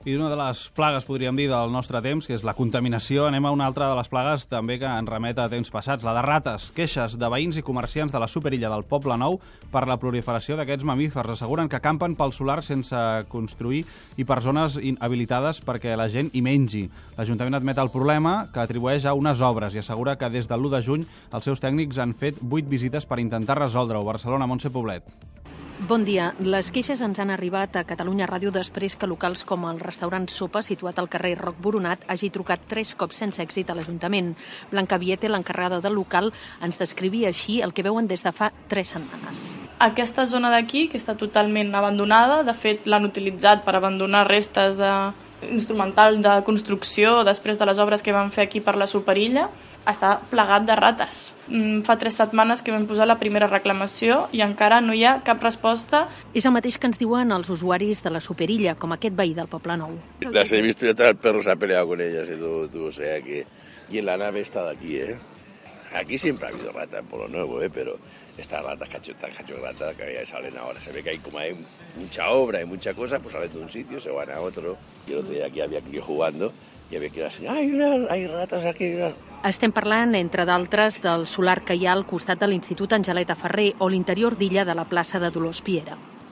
I una de les plagues, podríem dir, del nostre temps, que és la contaminació, anem a una altra de les plagues també que ens remet a temps passats, la de rates. Queixes de veïns i comerciants de la superilla del Poble Nou per la proliferació d'aquests mamífers. Asseguren que campen pel solar sense construir i per zones habilitades perquè la gent hi mengi. L'Ajuntament admet el problema, que atribueix a unes obres, i assegura que des del 1 de juny els seus tècnics han fet 8 visites per intentar resoldre-ho. Barcelona, Montse Poblet. Bon dia. Les queixes ens han arribat a Catalunya Ràdio després que locals com el restaurant Sopa, situat al carrer Roc Boronat, hagi trucat 3 cops sense èxit a l'Ajuntament. Blanca Viete, l'encarregada del local, ens descrivia així el que veuen des de fa 3 setmanes. Aquesta zona d'aquí, que està totalment abandonada, de fet l'han utilitzat per abandonar restes instrumental de construcció després de les obres que van fer aquí per la Superilla, està plagat de rates. Fa 3 setmanes que vam posar la primera reclamació i encara no hi ha cap resposta. És el mateix que ens diuen els usuaris de la Superilla, com aquest veí del Poble Nou. Las he visto y hasta el perro se ha peleado con ellas y todo, o sea que... Y en la nave está de aquí, Aquí siempre ha habido rata en Pueblo Nuevo, pero estas ratas cachorratas que ya salen ahora. Se ve que como hay mucha obra y mucha cosa, pues salen de un sitio, se van a otro. Y el otro día aquí había crío jugando i havia que dir, hay ratas aquí. Estem parlant, entre d'altres, del solar que hi ha al costat de l'Institut Angeleta Ferrer o l'interior d'Illa de la plaça de Dolors Piera.